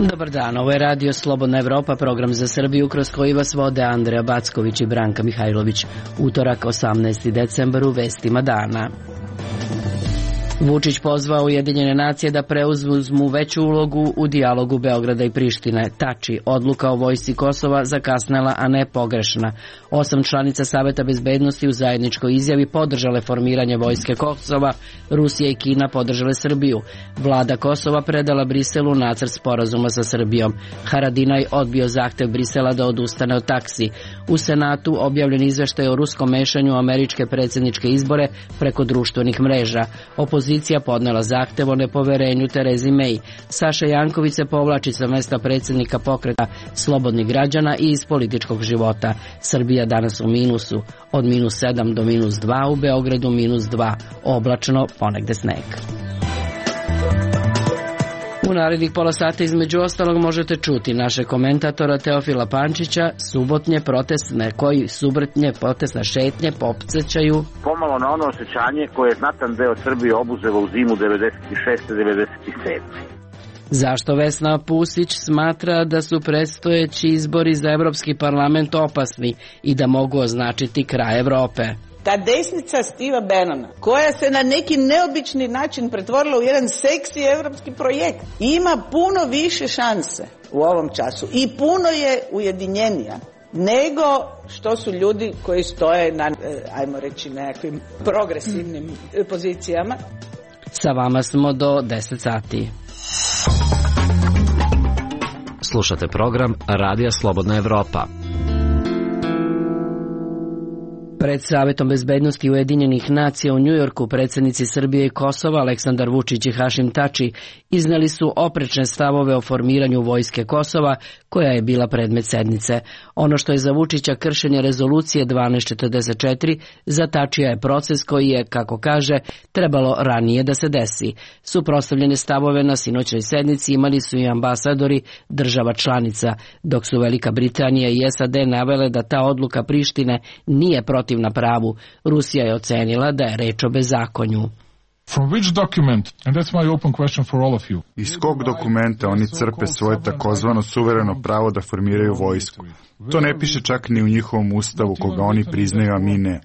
Dobar dan, ovo je Radio Slobodna Evropa, program za Srbiju kroz koji vas vode Andreja Backović i Branka Mihajlović. Utorak, 18. decembar, u vestima dana. Vučić pozvao Ujedinjene nacije da preuzmu veću ulogu u dijalogu Beograda i Prištine. Tači, odluka o vojsci Kosova zakasnela, a ne pogrešna. 8 članica Saveta bezbednosti u zajedničkoj izjavi podržale formiranje vojske Kosova, Rusija i Kina podržale Srbiju. Vlada Kosova predala Briselu nacrt sporazuma sa Srbijom. Haradinaj odbio zahtev Brisela da odustane od taksi. U Senatu objavljen izveštaj o ruskom mešanju u američke predsjedničke izbore preko društvenih mreža. Opozicija podnela zahtev o nepoverenju Terezi May. Saša Janković se povlači sa mesta predsjednika pokreta Slobodnih građana i iz političkog života. Srbija danas u minusu. Od -7 do -2, u Beogradu -2. Oblačno, ponegde sneg. U narednih pola sata između ostalog možete čuti naše komentatora Teofila Pančića, subotnje protestne šetnje popsećaju pomalo na ono osjećanje koje je znatan deo Srbije obuzelo u zimu 96-97. Zašto Vesna Pusić smatra da su predstojeći izbori za Evropski parlament opasni i da mogu označiti kraj Evrope? Ta desnica Steva Bannona, koja se na neki neobični način pretvorila u jedan seksi evropski projekt, ima puno više šanse u ovom času i puno je ujedinjenija nego što su ljudi koji stoje na, ajmo reći, nekakvim progresivnim pozicijama. Sa vama smo do 10 sati. Slušate program Radija Slobodna Evropa. Pred Savetom bezbednosti Ujedinjenih nacija u Njujorku predsjednici Srbije i Kosova Aleksandar Vučić i Hašim Tači izneli su oprečne stavove o formiranju vojske Kosova, koja je bila predmet sednice. Ono što je za Vučića kršenje rezolucije 1244, za Tačija je proces koji je, kako kaže, trebalo ranije da se desi. Suprotstavljene stavove na sinoćnoj sednici imali su i ambasadori država članica, dok su Velika Britanija i SAD navele da ta odluka Prištine nije protivna pravu. Rusija je ocenila da je reč o bezakonju. Iz kog dokumenta oni crpe svoje takozvano suvereno pravo da formiraju vojsku? To ne piše čak ni u njihovom ustavu koga oni priznaju, a mi ne.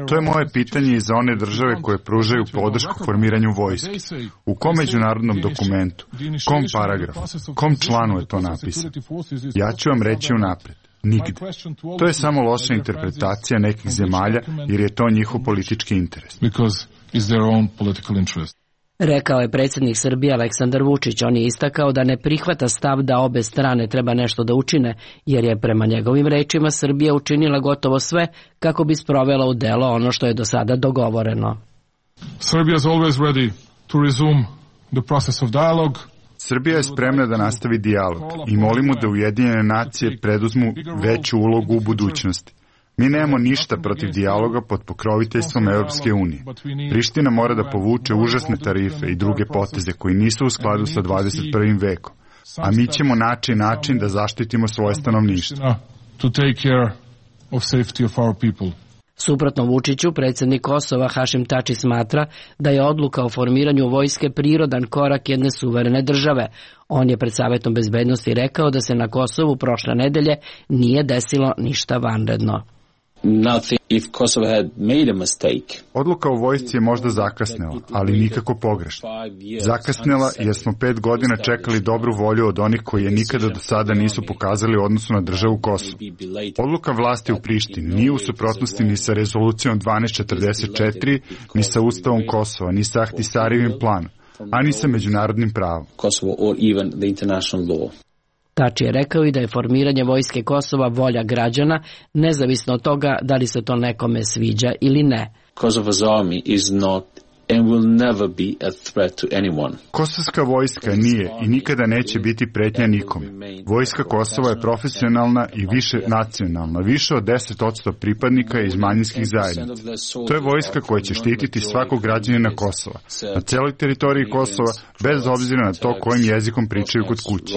To je moje pitanje i za one države koje pružaju podršku formiranju vojske. U kom međunarodnom dokumentu, kom paragrafu, kom članu je to napisano? Ja ću vam reći unapred. Nigde. To je samo loša interpretacija nekih zemalja jer je to njihov politički interes. Rekao je predsjednik Srbije Aleksandar Vučić. On je istakao da ne prihvata stav da obe strane treba nešto da učine, jer je prema njegovim rečima Srbija učinila gotovo sve kako bi sprovela u delo ono što je do sada dogovoreno. Srbija je spremna da nastavi dijalog i molimo da Ujedinjene nacije preduzmu veću ulogu u budućnosti. Mi nemamo ništa protiv dijaloga pod pokroviteljstvom Europske unije. Priština mora da povuče užasne tarife i druge poteze koji nisu u skladu sa 21. vekom, a mi ćemo naći način da zaštitimo svoje stanovništvo. Suprotno Vučiću, predsjednik Kosova Hašim Tači smatra da je odluka o formiranju vojske prirodan korak jedne suverene države. On je pred Savetom bezbednosti rekao da se na Kosovu prošle nedelje nije desilo ništa vanredno. Odluka o vojsci je možda zakasnela, ali nikako pogrešna. Zakasnela jer smo 5 godina čekali dobru volju od onih koji je nikada do sada nisu pokazali u odnosu na državu Kosovo. Odluka vlasti u Prištini nije u suprotnosti ni sa rezolucijom 1244, ni sa Ustavom Kosova, ni sa Ahtisarijevim planom, a ni sa međunarodnim pravom. Tači je rekao i da je formiranje vojske Kosova volja građana, nezavisno od toga da li se to nekome sviđa ili ne. Kosovska vojska nije i nikada neće biti pretnja nikome. Vojska Kosova je profesionalna i više nacionalna, više od 10% pripadnika iz manjinskih zajednica. To je vojska koja će štititi svakog građanina Kosova, na celoj teritoriji Kosova, bez obzira na to kojim jezikom pričaju kod kuće.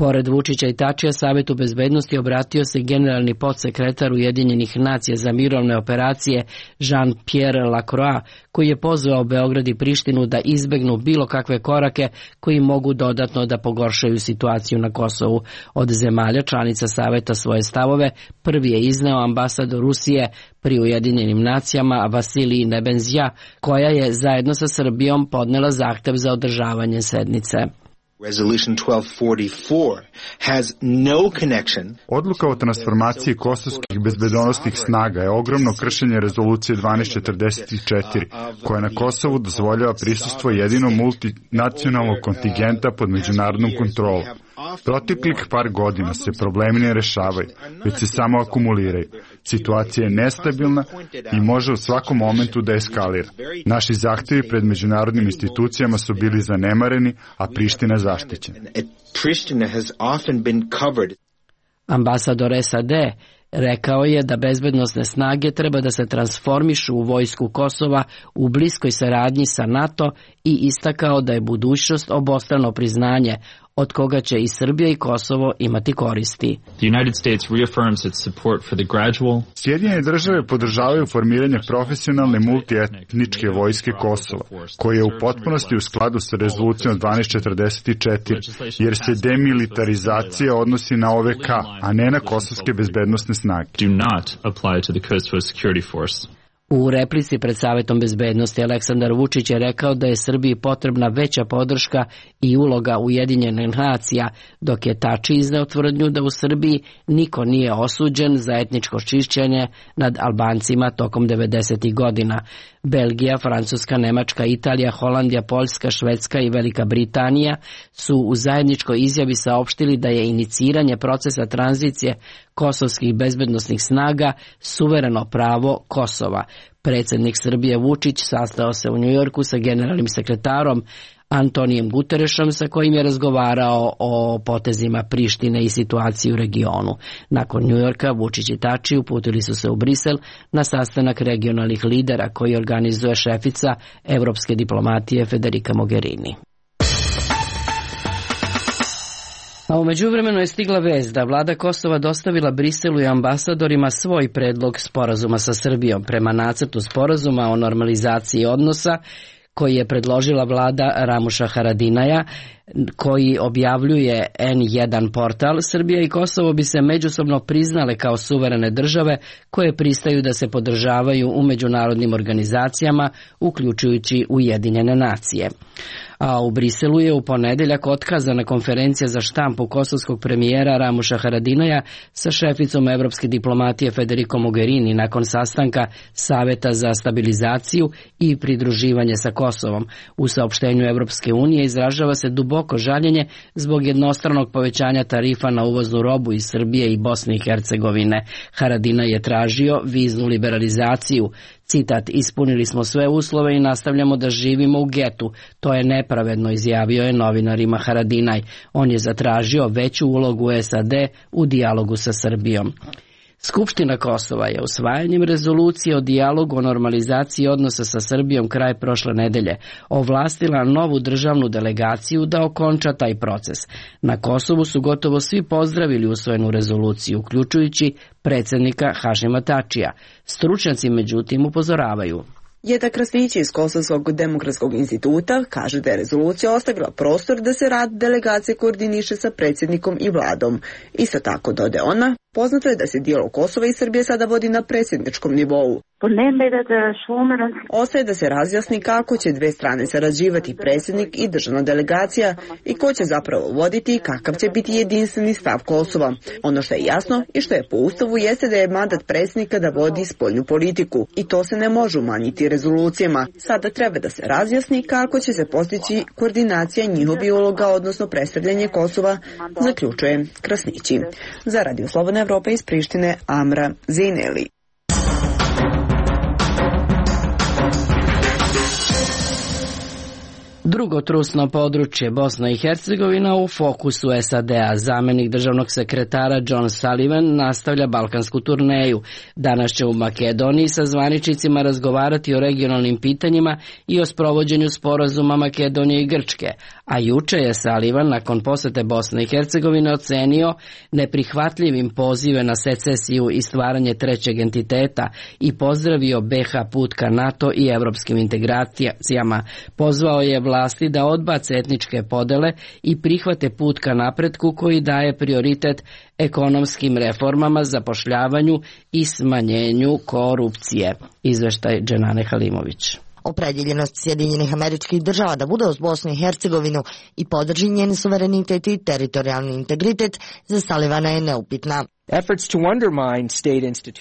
Pored Vučića i Tačija, Savetu bezbednosti obratio se generalni podsekretar Ujedinjenih nacija za mirovne operacije Jean-Pierre Lacroix, koji je pozvao Beograd i Prištinu da izbegnu bilo kakve korake koji mogu dodatno da pogoršaju situaciju na Kosovu. Od zemalja članica Saveta svoje stavove prvi je izneo ambasador Rusije pri Ujedinjenim nacijama Vasilij Nebenzija, koja je zajedno sa Srbijom podnela zahtev za održavanje sednice. Resolution 1244 has no connection. Odluka o transformaciji kosovskih bezbednosnih snaga je ogromno kršenje rezolucije 1244, koja na Kosovu dozvoljava prisustvo jedino multinacionalnog kontingenta pod međunarodnom kontrolom. Proteklih par godina se problemi ne rešavaju, već se samo akumuliraju. Situacija je nestabilna i može u svakom momentu da eskalira. Naši zahtevi pred međunarodnim institucijama su bili zanemareni, a Priština zaštićena. Ambasador SAD rekao je da bezbednosne snage treba da se transformišu u vojsku Kosova u bliskoj saradnji sa NATO i istakao da je budućnost obostrano priznanje od koga će i Srbija i Kosovo imati koristi. Sjedinjene države podržavaju formiranje profesionalne multietničke vojske Kosova, koja je u potpunosti u skladu sa rezolucijom 1244, jer se demilitarizacija odnosi na OVK, a ne na kosovske bezbednosne snage. U replici pred Savetom bezbednosti Aleksandar Vučić je rekao da je Srbiji potrebna veća podrška i uloga Ujedinjenih nacija, dok je Tači izneo tvrdnju da u Srbiji niko nije osuđen za etničko čišćenje nad Albancima tokom 90. godina. Belgija, Francuska, Nemačka, Italija, Holandija, Poljska, Švedska i Velika Britanija su u zajedničkoj izjavi saopštili da je iniciranje procesa tranzicije kosovskih bezbednosnih snaga suvereno pravo Kosova. Predsjednik Srbije Vučić sastao se u Njujorku sa generalnim sekretarom Antonijem Guterešom, sa kojim je razgovarao o potezima Prištine i situaciji u regionu. Nakon Njujorka, Vučić i Tači uputili su se u Brisel na sastanak regionalnih lidera koji organizuje šefica evropske diplomatije Federica Mogherini. A u međuvremenu je stigla vest da vlada Kosova dostavila Briselu i ambasadorima svoj predlog sporazuma sa Srbijom. Prema nacrtu sporazuma o normalizaciji odnosa koji je predložila vlada Ramuša Haradinaja, koji objavljuje N1 portal, Srbija i Kosovo bi se međusobno priznale kao suverene države koje pristaju da se podržavaju u međunarodnim organizacijama, uključujući Ujedinjene nacije. A u Briselu je u ponedeljak otkazana konferencija za štampu kosovskog premijera Ramuša Haradinaja sa šeficom evropske diplomatije Federico Mogherini nakon sastanka Saveta za stabilizaciju i pridruživanje sa Kosovom. U saopštenju Evropske unije izražava se duboko žaljenje zbog jednostranog povećanja tarifa na uvoznu robu iz Srbije i Bosne i Hercegovine. Haradinaj je tražio viznu liberalizaciju. Citat, ispunili smo sve uslove i nastavljamo da živimo u getu. To je nepravedno, izjavio je novinarima Haradinaj. On je zatražio veću ulogu SAD u dijalogu sa Srbijom. Skupština Kosova je usvajanjem rezolucije o dijalogu o normalizaciji odnosa sa Srbijom kraj prošle nedelje ovlastila novu državnu delegaciju da okonča taj proces. Na Kosovu su gotovo svi pozdravili usvojenu rezoluciju, uključujući predsjednika Hašima Tačija. Stručnjaci međutim upozoravaju. Jeta Krasnić iz Kosovskog demokratskog instituta kaže da je rezolucija ostavila prostor da se rad delegacije koordiniše sa predsjednikom i vladom. Isto tako, dode ona, poznato je da se dijalog Kosova i Srbije sada vodi na predsjedničkom nivou. Ostaje da se razjasni kako će dve strane sarađivati predsjednik i državna delegacija i ko će zapravo voditi i kakav će biti jedinstveni stav Kosova. Ono što je jasno i što je po Ustavu jeste da je mandat predsjednika da vodi spoljnu politiku i to se ne može umanjiti rezolucijama. Sada treba da se razjasni kako će se postići koordinacija njihovih uloga, odnosno predstavljanje Kosova, zaključuje Krasnići. Za Radio Slobodna Evropa iz Prištine, Amra Zineli. Drugo trusno područje, Bosna i Hercegovina, u fokusu SAD-a. Zamenik državnog sekretara John Sullivan nastavlja balkansku turneju. Danas će u Makedoniji sa zvaničnicima razgovarati o regionalnim pitanjima i o sprovođenju sporazuma Makedonije i Grčke. A juče je Sullivan nakon posete Bosne i Hercegovine ocenio neprihvatljivim pozive na secesiju i stvaranje trećeg entiteta i pozdravio BiH put ka NATO i evropskim integracijama. Pozvao je vlasti da odbace etničke podele i prihvate put ka napretku koji daje prioritet ekonomskim reformama, zapošljavanju i smanjenju korupcije. Izveštaj Dženane Halimović. Opredjeljenost Sjedinjenih Američkih Država da bude uz Bosnu i Hercegovinu i podrži njen suverenitet i teritorijalni integritet za Sullivana je neupitna.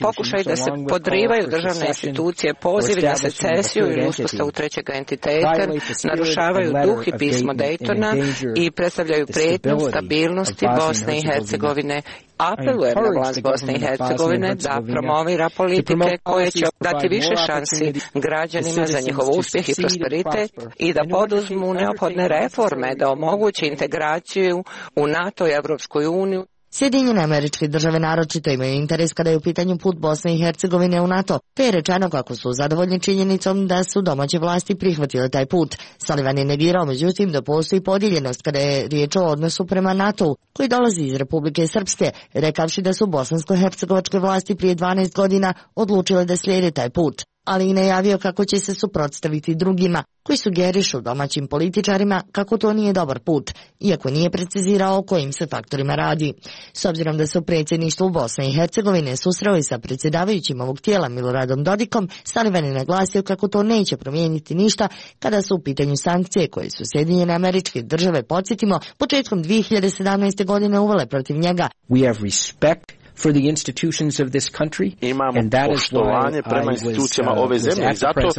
Pokušaj da se podrivaju državne institucije, pozivi na secesiju ili uspostavu trećeg entiteta narušavaju duh i pismo Daytona i predstavljaju prijetnju stabilnosti Bosne i Hercegovine. Apelujem na vlast Bosne i Hercegovine da promovira politike koje će dati više šansi građanima za njihov uspjeh i prosperitet i da poduzmu neophodne reforme da omogući integraciju u NATO i Evropskoj uniju. Sjedinjene Američke Države naročito imaju interes kada je u pitanju put Bosne i Hercegovine u NATO, te je rečeno kako su zadovoljni činjenicom da su domaće vlasti prihvatile taj put. Sullivan je negirao međutim da postoji podijeljenost kada je riječ o odnosu prema NATO-u, koji dolazi iz Republike Srpske, rekavši da su bosansko-hercegovačke vlasti prije 12 godina odlučile da slijede taj put, ali i najavio kako će se suprotstaviti drugima koji sugerišu domaćim političarima kako to nije dobar put, iako nije precizirao o kojim se faktorima radi. S obzirom da se u predsjedništvu Bosne i Hercegovine susreo i sa predsjedavajućim ovog tijela Miloradom Dodikom, Sullivan je naglasio kako to neće promijeniti ništa kada su u pitanju sankcije koje su Sjedinjene Američke Države, podsjetimo, početkom 2017. godine uvele protiv njega. Imamo poštovanje prema institucijama ove zemlje i zato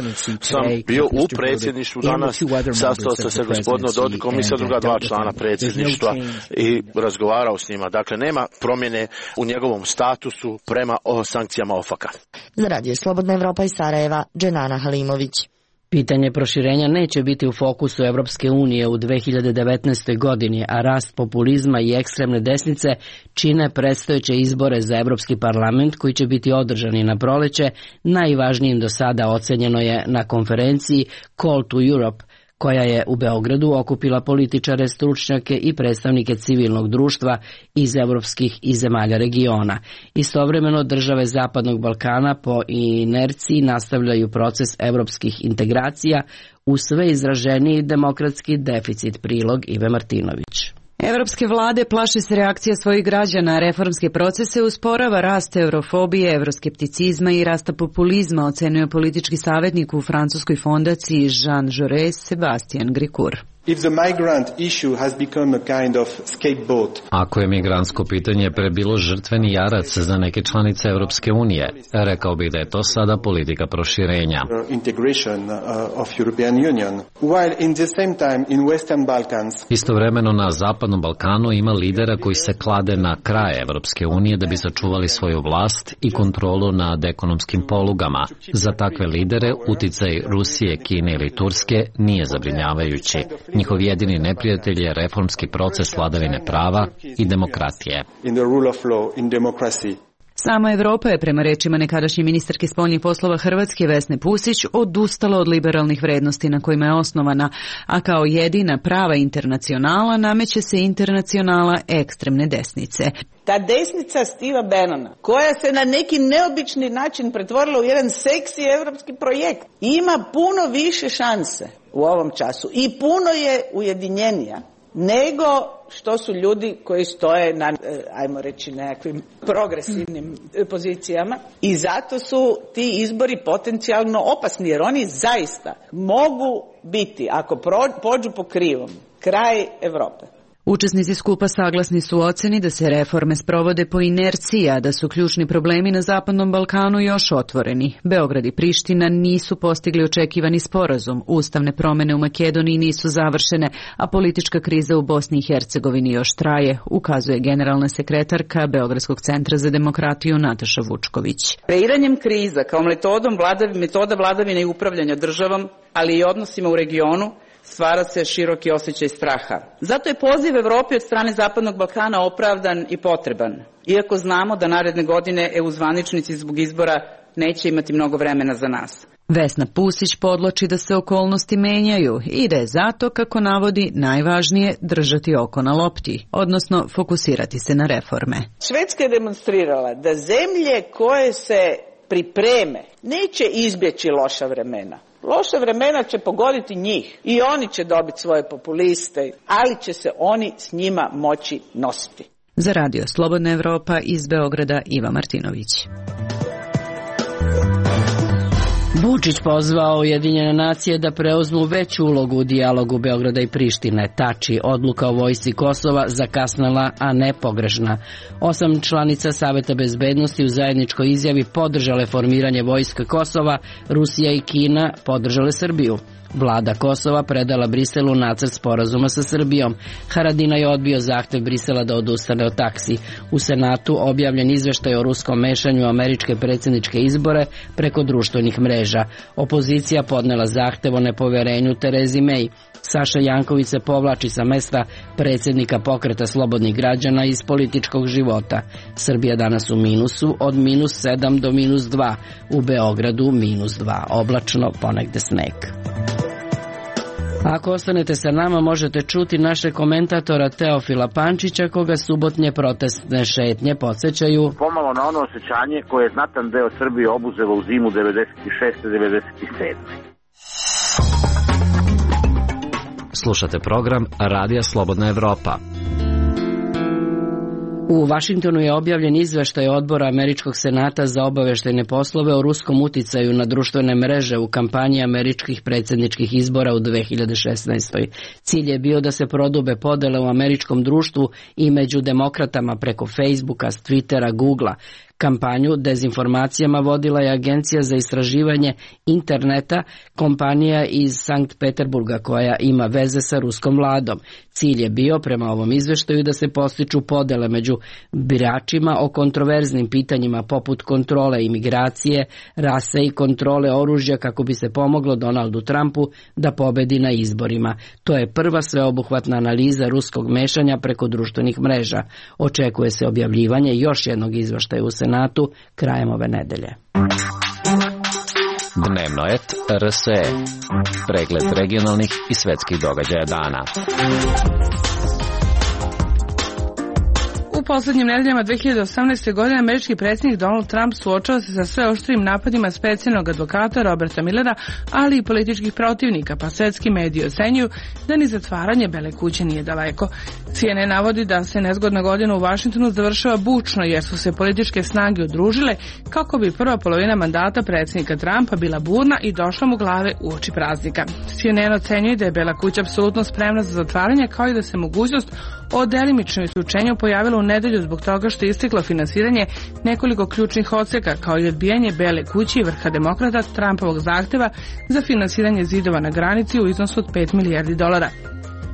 sam bio u predsjedništvu danas, sastao sam se gospodinom Dodikom i sa druga dva člana predsjedništva i razgovarao s njima. Dakle, nema promjene u njegovom statusu prema sankcijama OFAK-a. Za Radio Slobodna Evropa iz Sarajeva, Dženana Halimović. Pitanje proširenja neće biti u fokusu Evropske unije u 2019. godini, a rast populizma i ekstremne desnice čine predstojeće izbore za Evropski parlament koji će biti održani na proleće. Najvažnijim do sada ocenjeno je na konferenciji Call to Europe, koja je u Beogradu okupila političare, stručnjake i predstavnike civilnog društva iz evropskih i zemalja regiona. Istovremeno države Zapadnog Balkana po inerciji nastavljaju proces evropskih integracija u sve izraženiji demokratski deficit. Prilog Ive Martinović. Evropske vlade plaše se reakcija svojih građana, reformske procese usporava rast eurofobije, evroskepticizma i rasta populizma, ocenio politički savjetnik u francuskoj fondaciji Jean Jaurès Sebastian Gricourt. Ako je migrantsko pitanje prebilo žrtveni jarac za neke članice Europske unije, rekao bih da je to sada politika proširenja. Istovremeno na Zapadnom Balkanu ima lidera koji se klade na kraj Europske unije da bi sačuvali svoju vlast i kontrolu nad ekonomskim polugama. Za takve lidere uticaj Rusije, Kine ili Turske nije zabrinjavajući. Njihov jedini neprijatelj je reformski proces vladavine prava i demokratije. Sama Evropa je, prema rečima nekadašnje ministarke spoljnih poslova Hrvatske Vesne Pusić, odustala od liberalnih vrednosti na kojima je osnovana, a kao jedina prava internacionala nameće se internacionala ekstremne desnice. Ta desnica Steva Bannona, koja se na neki neobični način pretvorila u jedan seksi evropski projekt, ima puno više šanse u ovom času i puno je ujedinjenija nego što su ljudi koji stoje na, ajmo reći, nekakvim progresivnim pozicijama, i zato su ti izbori potencijalno opasni, jer oni zaista mogu biti, ako pođu po krivom, kraj Europe. Učesnici skupa saglasni su u oceni da se reforme sprovode po inerciji, a da su ključni problemi na Zapadnom Balkanu još otvoreni. Beograd i Priština nisu postigli očekivani sporazum, ustavne promjene u Makedoniji nisu završene, a politička kriza u Bosni i Hercegovini još traje, ukazuje generalna sekretarka Beogradskog centra za demokratiju Nataša Vučković. Kreiranjem kriza kao metoda vladavine i upravljanja državom, ali i odnosima u regionu, stvara se široki osjećaj straha. Zato je poziv Evropi od strane Zapadnog Balkana opravdan i potreban, iako znamo da naredne godine EU zvaničnici zbog izbora neće imati mnogo vremena za nas. Vesna Pusić podloči da se okolnosti menjaju i da je zato, kako navodi, najvažnije držati oko na lopti, odnosno fokusirati se na reforme. Švedska je demonstrirala da zemlje koje se pripreme neće izbjeći loša vremena. Loša vremena će pogoditi njih i oni će dobiti svoje populiste, ali će se oni s njima moći nositi. Za Radio Slobodna Evropa iz Beograda Iva Martinović. Vučić pozvao Ujedinjene nacije da preuzmu veću ulogu u dijalogu Beograda i Prištine. Tači, odluka o vojsci Kosova zakasnela, a ne pogrešna. 8 članica Saveta bezbednosti u zajedničkoj izjavi podržale formiranje vojske Kosova, Rusija i Kina podržale Srbiju. Vlada Kosova predala Briselu nacrt sporazuma sa Srbijom. Haradinaj je odbio zahtev Brisela da odustane od taksi. U Senatu objavljen izveštaj o ruskom mešanju u američke predsjedničke izbore preko društvenih mreža. Opozicija podnela zahtev o nepoverenju Terezi May. Saša Janković se povlači sa mesta predsjednika Pokreta slobodnih građana iz političkog života. Srbija danas u minusu od -7 do -2. U Beogradu -2. Oblačno, ponegde sneg. Ako ostanete sa nama, možete čuti naše komentatora Teofila Pančića, koga subotnje protestne šetnje podsjećaju pomalo na ono osjećanje koje je znatan deo Srbije obuzelo u zimu 96-97. Slušate program Radija Slobodna Evropa. U Vašingtonu je objavljen izveštaj Odbora Američkog senata za obaveštajne poslove o ruskom uticaju na društvene mreže u kampanji američkih predsjedničkih izbora u 2016. Cilj je bio da se prodube podele u američkom društvu i među demokratama preko Facebooka, Twittera, Googlea. Kampanju dezinformacijama vodila je Agencija za istraživanje interneta, kompanija iz Sankt Peterburga koja ima veze sa ruskom vladom. Cilj je bio, prema ovom izveštaju, da se postiču podele među biračima o kontroverznim pitanjima poput kontrole imigracije, rase i kontrole oružja kako bi se pomoglo Donaldu Trumpu da pobedi na izborima. To je prva sveobuhvatna analiza ruskog mešanja preko društvenih mreža. Očekuje se objavljivanje još jednog izveštaja u Senatu krajem ove nedelje. Dnevnoet RSE. Pregled regionalnih i svetskih događaja dana. U poslednjim nedeljama 2018. godine američki predsjednik Donald Trump suočava se sa sve oštrijim napadima specijalnog advokata Roberta Millera, ali i političkih protivnika, pa svetski mediji ocenjuju da ni zatvaranje Bele kuće nije daleko. CNN navodi da se nezgodna godina u Vašingtonu završava bučno jer su se političke snage udružile kako bi prva polovina mandata predsjednika Trumpa bila burna i došla mu glave uoči praznika. CNN ocenjuje da je Bela kuća apsolutno spremna za zatvaranje, kao i da se mogućnost o delimičnom isključenju pojavilo u nedelju zbog toga što je isteklo finansiranje nekoliko ključnih odseka, kao i odbijanje Bele kuće i vrha demokrata Trumpovog zahteva za finansiranje zidova na granici u iznosu od $5 milijardi.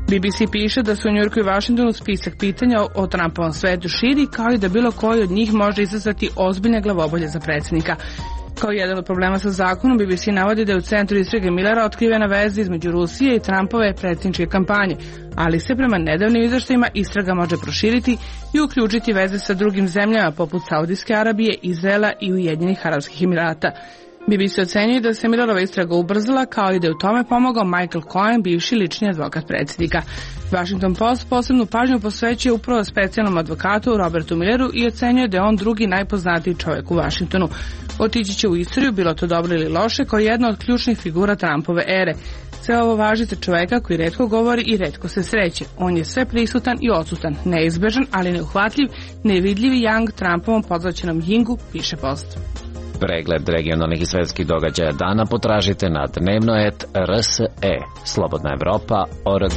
BBC piše da su u Njujorku i Vašingtonu spisak pitanja o Trumpovom svetu širi, kao i da bilo koji od njih može izazvati ozbiljne glavobolje za predsjednika. Kao jedan od problema sa zakonom, BBC navodi da je u centru istrage Millera otkrivena veza između Rusije i Trumpove predsjedničke kampanje, ali se prema nedavnim izveštajima istraga može proširiti i uključiti veze sa drugim zemljama poput Saudijske Arabije, Izraela i Ujedinjenih Arapskih Emirata. BBC ocenjuje da se Millerova istraga ubrzala, kao i da je u tome pomogao Michael Cohen, bivši lični advokat predsjednika. Washington Post posebnu pažnju posvećuje upravo specijalnom advokatu Robertu Milleru i ocenjuje da je on drugi najpoznatiji čovjek u Washingtonu. Otići će u istoriju, bilo to dobro ili loše, kao jedna od ključnih figura Trumpove ere. Sve ovo važi za čovjeka koji retko govori i retko se sreće. On je sve prisutan i odsutan, neizbežan, ali neuhvatljiv, nevidljivi Yang Trumpovom pozvaćenom Yingu, piše Post. Pregled regionalnih i svetskih događaja dana potražite na Dnevnoet RSE. Slobodna Evropa.org.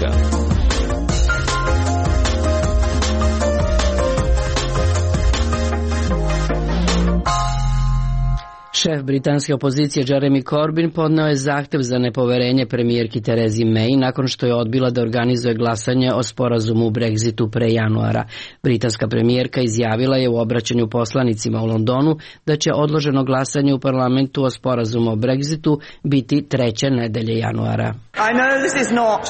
Šef britanske opozicije Jeremy Corbyn podneo je zahtev za nepoverenje premijerki Terezi May nakon što je odbila da organizuje glasanje o sporazumu u Brexitu pre januara. Britanska premijerka izjavila je u obraćanju poslanicima u Londonu da će odloženo glasanje u parlamentu o sporazumu o Brexitu biti 3. nedelje januara.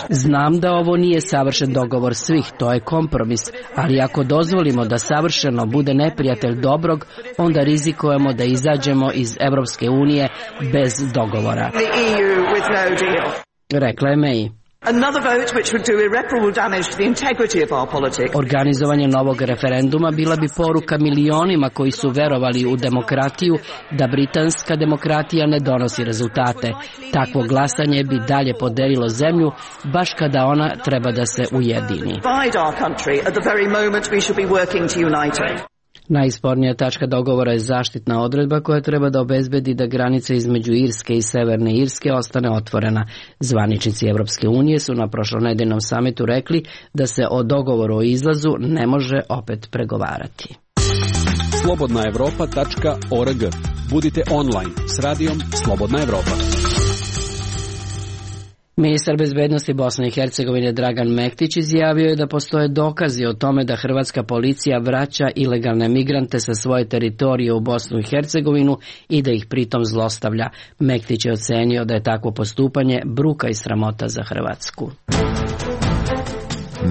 Znam da ovo nije savršen dogovor svih, to je kompromis, ali ako dozvolimo da savršeno bude neprijatelj dobrog, onda rizikujemo da izađemo iz Evropske unije bez dogovora, rekla je May. Organizovanje novog referenduma bila bi poruka milionima koji su verovali u demokratiju da britanska demokratija ne donosi rezultate. Takvo glasanje bi dalje podelilo zemlju baš kada ona treba da se ujedini. Najspornija tačka dogovora je zaštitna odredba koja treba da obezbedi da granica između Irske i Severne Irske ostane otvorena. Zvaničnici Evropske unije su na prošlonedeljnom samitu rekli da se o dogovoru o izlazu ne može opet pregovarati. slobodnaevropa.org. Budite online s radijom Slobodna Evropa. Ministar bezbednosti Bosne i Hercegovine Dragan Mektić izjavio je da postoje dokazi o tome da hrvatska policija vraća ilegalne migrante sa svoje teritorije u Bosnu i Hercegovinu i da ih pritom zlostavlja. Mektić je ocenio da je takvo postupanje bruka i sramota za Hrvatsku.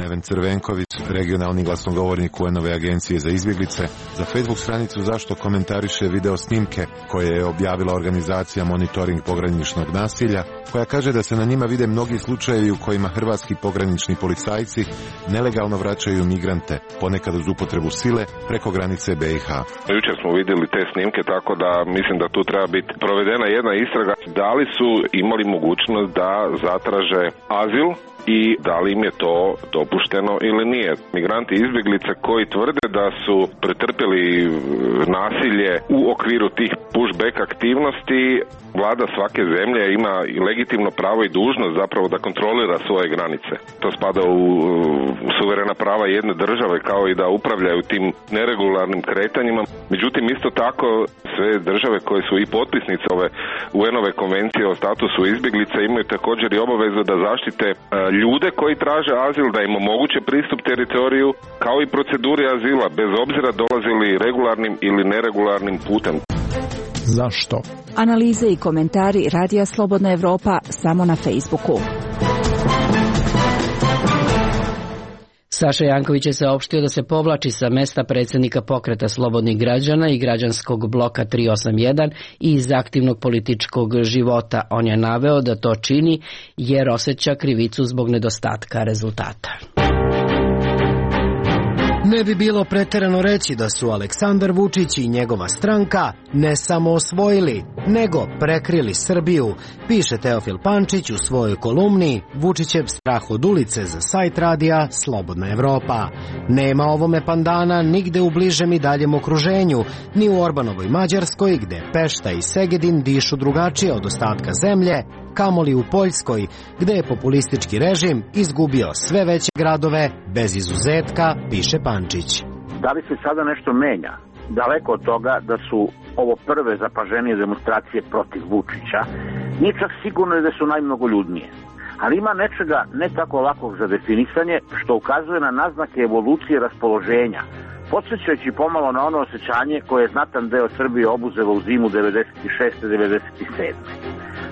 Neven Crvenković, regionalni glasnogovornik UN-ove agencije za izbjeglice, za Facebook stranicu Zašto komentariše video snimke koje je objavila organizacija Monitoring pograničnog nasilja, koja kaže da se na njima vide mnogi slučajevi u kojima hrvatski pogranični policajci nelegalno vraćaju migrante, ponekad uz upotrebu sile preko granice BiH. Jučer smo vidjeli te snimke, tako da mislim da tu treba biti provedena jedna istraga. Da li su imali mogućnost da zatraže azil i da li im je to dopušteno ili nije. Migranti i izbjeglice koji tvrde da su pretrpjeli nasilje u okviru tih pushback aktivnosti, vlada svake zemlje ima i legitimno pravo i dužnost zapravo da kontrolira svoje granice. To spada u suverena prava jedne države kao i da upravljaju tim neregularnim kretanjima. Međutim, isto tako sve države koje su i potpisnice ove UN-ove konvencije o statusu izbjeglica imaju također i obavezu da zaštite ljude koji traže azil, da im omoguće pristup teritoriju kao i proceduri azila bez obzira dolazili regularnim ili neregularnim putem. Zašto? Analize i komentari Radija Slobodna Evropa samo na Facebooku. Saša Janković je saopštio da se povlači sa mesta predsjednika Pokreta slobodnih građana i građanskog bloka 381 i iz aktivnog političkog života. On je naveo da to čini jer osjeća krivicu zbog nedostatka rezultata. Ne bi bilo pretjerano reći da su Aleksandar Vučić i njegova stranka ne samo osvojili, nego prekrili Srbiju, piše Teofil Pančić u svojoj kolumni Vučićev strah od ulice za sajt radija Slobodna Evropa. Nema ovome pandana nigde u bližem i daljem okruženju, ni u Orbanovoj Mađarskoj, gde Pešta i Segedin dišu drugačije od ostatka zemlje, kamoli u Poljskoj, gde je populistički režim izgubio sve veće gradove bez izuzetka, piše Pančić. Da li se sada nešto menja? Daleko od toga da su ovo prve zapaženije demonstracije protiv Vučića, nije čak sigurno da su najmnogoljudnije. Ali ima nečega ne tako lakog za definisanje što ukazuje na naznake evolucije raspoloženja, podsjećajući pomalo na ono osjećanje koje je znatan deo Srbije obuzelo u zimu 96-97.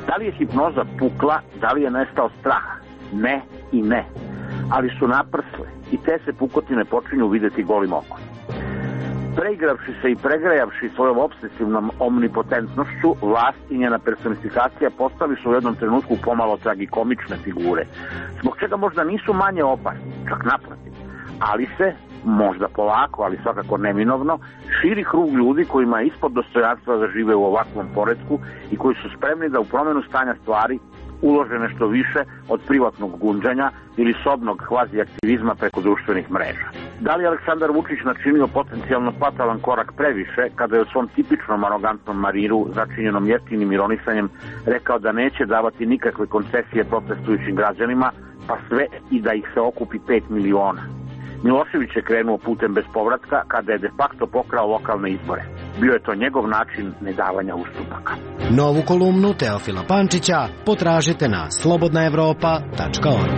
Da li je hipnoza pukla, da li je nestao strah? Ne i ne. Ali su naprsle i te se pukotine počinju videti golim okom. Preigravši se i pregrejavši svojom obsesivnom omnipotentnošću, vlast i njena personifikacija postali su u jednom trenutku pomalo tragikomične figure, zbog čega možda nisu manje opasni, čak naprotiv, ali se, možda polako, ali svakako neminovno, širi krug ljudi kojima je ispod dostojanstva da žive u ovakvom poretku i koji su spremni da u promjenu stanja stvari ulože nešto više od privatnog gunđanja ili sobnog kvazi aktivizma preko društvenih mreža. Da li je Aleksandar Vučić načinio potencijalno fatalan korak previše kada je u svom tipičnom arogantnom maniru začinjenom jeftinim ironisanjem rekao da neće davati nikakve koncesije protestujućim građanima, pa sve i da ih se okupi 5 miliona. Milošević je krenuo putem bez povratka kada je de facto pokrao lokalne izbore. Bio je to njegov način nedavanja ustupaka. Novu kolumnu Teofila Pančića potražite na slobodnaevropa.org.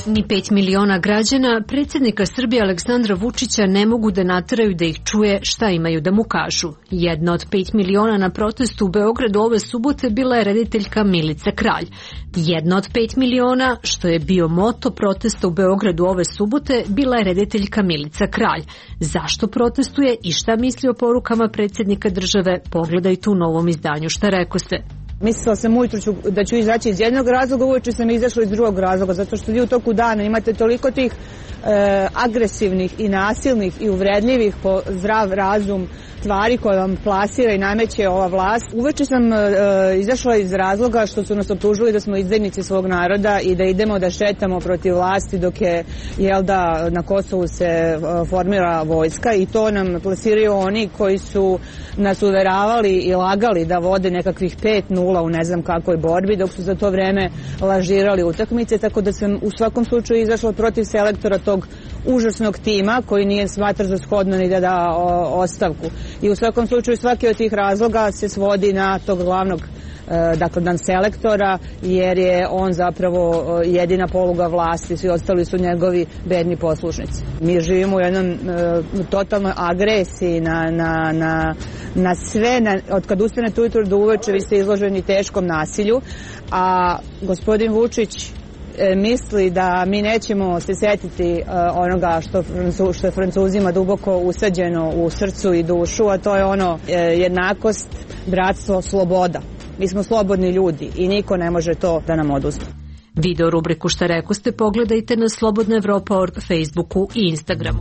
Ni 5 miliona građana predsjednika Srbije Aleksandra Vučića ne mogu da nateraju da ih čuje šta imaju da mu kažu. Jedna od 5 miliona na protestu u Beogradu ove subote bila je rediteljka Milica Kralj. Jedna od 5 miliona, što je bio moto protesta u Beogradu ove subote, bila je rediteljka Milica Kralj. Zašto protestuje i šta misli o porukama predsjednika države, pogledajte u novom izdanju Šta rekoste. Mislila sam ujutru da ću izaći iz jednog razloga, uveče sam izašla iz drugog razloga, zato što vi u toku dana imate toliko tih agresivnih i nasilnih i uvredljivih po zdrav razum stvari koje vam plasira i nameće ova vlast. Uveče sam izašla iz razloga što su nas optužili da smo izdajnici svog naroda i da idemo da šetamo protiv vlasti dok je, na Kosovu se formira vojska, i to nam plasiraju oni koji su nas uveravali i lagali da vode nekakvih 5-0 u ne znam kakvoj borbi, dok su za to vreme lažirali utakmice, tako da sam u svakom slučaju izašla protiv selektora tog užasnog tima koji nije smatra za shodno ni da da ostavku. I u svakom slučaju svaki od tih razloga se svodi na tog glavnog dan selektora, jer je on zapravo jedina poluga vlasti, svi ostali su njegovi bedni poslušnici. Mi živimo u jednom totalnoj agresiji na sve, od kad ustanete ujutro do uveče vi ste izloženi teškom nasilju, a gospodin Vučić misli da mi nećemo se setiti onoga što je Francuzima duboko usađeno u srcu i dušu, a to je jednakost, bratstvo, sloboda. Mi smo slobodni ljudi i niko ne može to da nam oduzme. Video rubriku Šta rekoste pogledajte na Slobodna Evropa.org, Facebooku i Instagramu.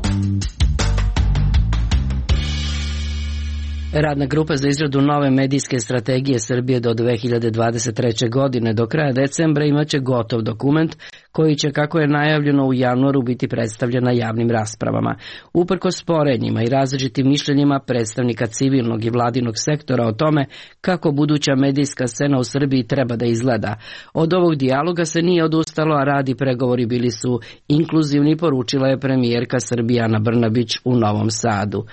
Radna grupa za izradu nove medijske strategije Srbije do 2023. godine do kraja decembra imaće gotov dokument koji će, kako je najavljeno, u januaru biti predstavljen na javnim raspravama. Uprkos sporenjima i različitim mišljenjima predstavnika civilnog i vladinog sektora o tome kako buduća medijska scena u Srbiji treba da izgleda. Od ovog dijaloga se nije odustalo, a rad i pregovori bili su inkluzivni, poručila je premijerka Srbije Ana Brnabić u Novom Sadu.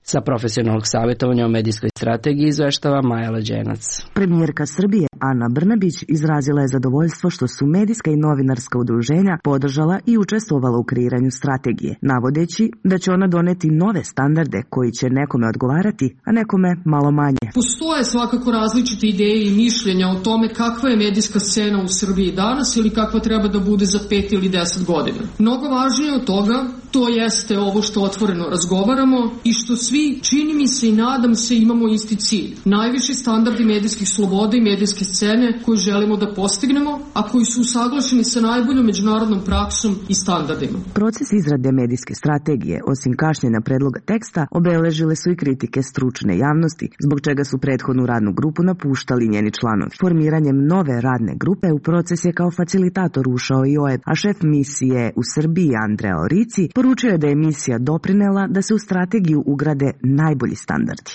Sa profesionalnog savjetovanja o medijskoj strategiji izveštava Maja Leđenac. Premijerka Srbije Ana Brnabić izrazila je zadovoljstvo što su medijska i novinarska udruženja podržala i učestvovala u kreiranju strategije, navodeći da će ona doneti nove standarde koji će nekome odgovarati, a nekome malo manje. Postoje svakako različite ideje i mišljenja o tome kakva je medijska scena u Srbiji danas ili kakva treba da bude za 5 ili 10 godina. Mnogo važnije od toga, to jeste ovo što otvoreno razgovaramo i što svi, čini mi se i nadam se, imamo isti cilj. Najviši standardi medijskih sloboda i medijske scene koju želimo da postignemo, a koji su usaglašeni sa najboljom međunarodnom praksom i standardima. Proces izrade medijske strategije, osim kašnjenja predloga teksta, obeležile su i kritike stručne javnosti, zbog čega su prethodnu radnu grupu napuštali njeni članovi. Formiranjem nove radne grupe u proces je kao facilitator ušao i OEB, a šef misije u Srbiji Andrea Orici poručio je da je misija doprinela da se u strategiju ugrade najbolji standardi.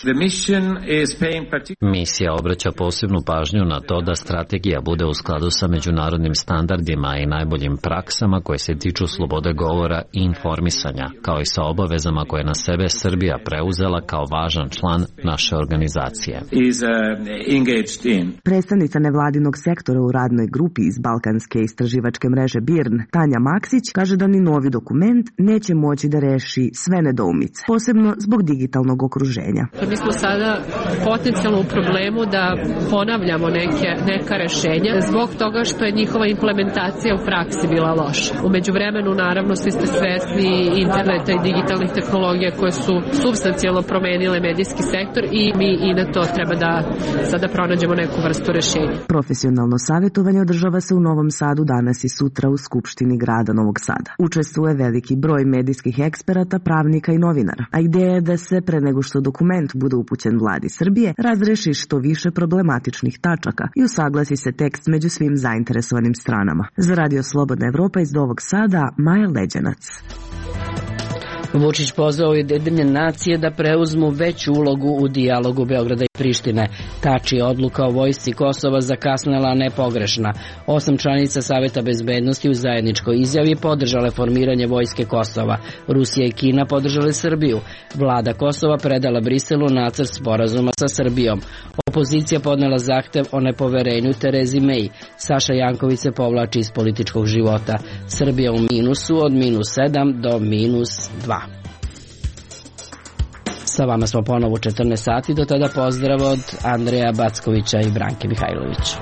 Misija obraća posebnu pažnju na to da strategija bude u skladu sa međunarodnim standardima i najboljim praksama koje se tiču slobode govora i informisanja, kao i sa obavezama koje na sebe Srbija preuzela kao važan član naše organizacije. Predstavnica nevladinog sektora u radnoj grupi iz Balkanske istraživačke mreže BIRN, Tanja Maksić, kaže da ni novi dokument neće moći da reši sve nedoumice, posebno zbog digitalnog okruženja. Mi smo sada potencijalno u problemu da ponavljamo neka rešenja zbog toga što je njihova implementacija u praksi bila loša. U međuvremenu, naravno, svi ste svesni interneta i digitalnih tehnologija koje su supstancijalno promenile medijski sektor i mi i na to treba da sada pronađemo neku vrstu rešenja. Profesionalno savjetovanje održava se u Novom Sadu danas i sutra u Skupštini grada Novog Sada. Učestvuje veliki broj medijskih eksperata, pravnika i novinara, a ideja je da se pre nego što dokument bude upućen vladi Srbije razreši što više problematičnih tačaka i usaglasi se tekst među svim zainteresovanim stranama. Za Radio Slobodna Evropa iz Novog Sada, Maja Leđenac. Vučić pozvao Ujedinjene nacije da preuzmu veću ulogu u dijalogu Beograda i Prištine. Tači, odluka o vojsci Kosova zakasnela, a ne pogrešna. 8 članica Saveta bezbednosti u zajedničkoj izjavi podržale formiranje vojske Kosova. Rusija i Kina podržale Srbiju. Vlada Kosova predala Briselu nacrt sporazuma sa Srbijom. Opozicija podnela zahtev o nepoverenju Terezi May. Saša Janković se povlači iz političkog života. Srbija u minusu od -7 do -2. Sa vama smo ponovo u 14 sati, do tada pozdrav od Andreja Backovića i Branke Mihajlović.